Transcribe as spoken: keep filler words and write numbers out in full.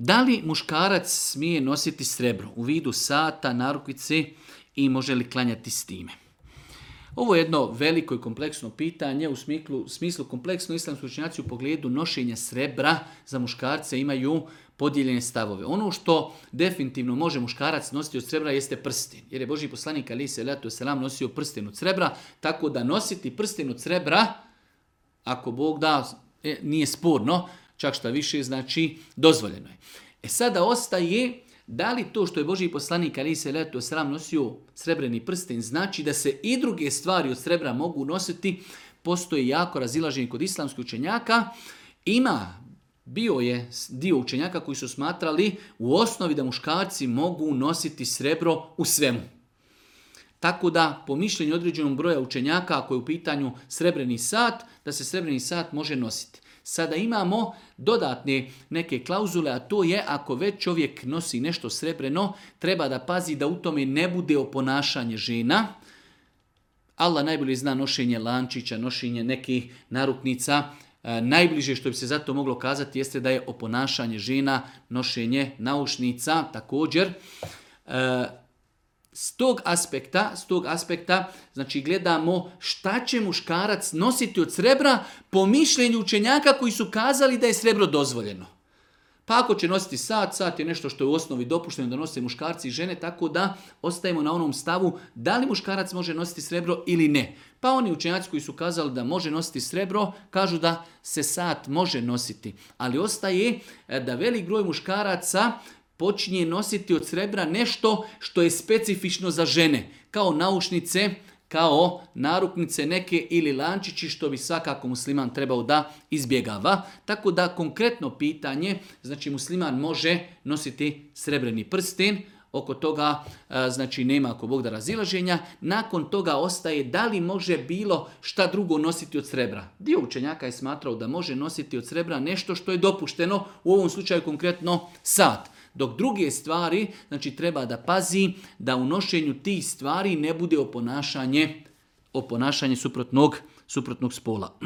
Da li muškarac smije nositi srebro u vidu sata, narukvice i može li klanjati s time? Ovo je jedno veliko i kompleksno pitanje, u smislu, smislu kompleksno islamski učenjaci u pogledu nošenja srebra za muškarce imaju podijeljene stavove. Ono što definitivno može muškarac nositi od srebra jeste prsten, jer je Božji poslanik alejhi selatu vesselam nosio prsten od srebra, tako da nositi prsten od srebra, ako Bog da, nije sporno, čak šta više, znači dozvoljeno je. E sada ostaje, da li to što je Božji poslanik alejhi selatu vesselam nosio srebreni prsten znači da se i druge stvari od srebra mogu nositi? Postoji jako razilaženje kod islamskih učenjaka. Ima, bio je dio učenjaka koji su smatrali u osnovi da muškarci mogu nositi srebro u svemu. Tako da, po mišljenju određenog broja učenjaka, ako je u pitanju srebreni sat, da se srebreni sat može nositi. Sada imamo dodatne neke klauzule, a to je ako već čovjek nosi nešto srebreno, treba da pazi da u tome ne bude oponašanje žena. Allah najbolje zna nošenje lančića, nošenje nekih naruknica. E, najbliže što bi se zato moglo kazati jeste da je oponašanje žena, nošenje naušnica također. E, S tog aspekta, s tog aspekta, znači gledamo šta će muškarac nositi od srebra po mišljenju učenjaka koji su kazali da je srebro dozvoljeno. Pa ako će nositi sat, sat je nešto što je u osnovi dopušteno da nose muškarci i žene, tako da ostajemo na onom stavu da li muškarac može nositi srebro ili ne. Pa oni učenjaci koji su kazali da može nositi srebro, kažu da se sat može nositi. Ali ostaje da velik broj muškaraca počinje nositi od srebra nešto što je specifično za žene, kao naušnice, kao naruknice neke ili lančići, što bi svakako musliman trebao da izbjegava. Tako da konkretno pitanje, znači musliman može nositi srebreni prsten, oko toga znači nema ako Bog da razilaženja. Nakon toga ostaje da li može bilo šta drugo nositi od srebra. Dio učenjaka je smatrao da može nositi od srebra nešto što je dopušteno, u ovom slučaju konkretno sat. Dok druge stvari, znači treba da pazi da u nošenju tih stvari ne bude oponašanje, oponašanje suprotnog, suprotnog spola.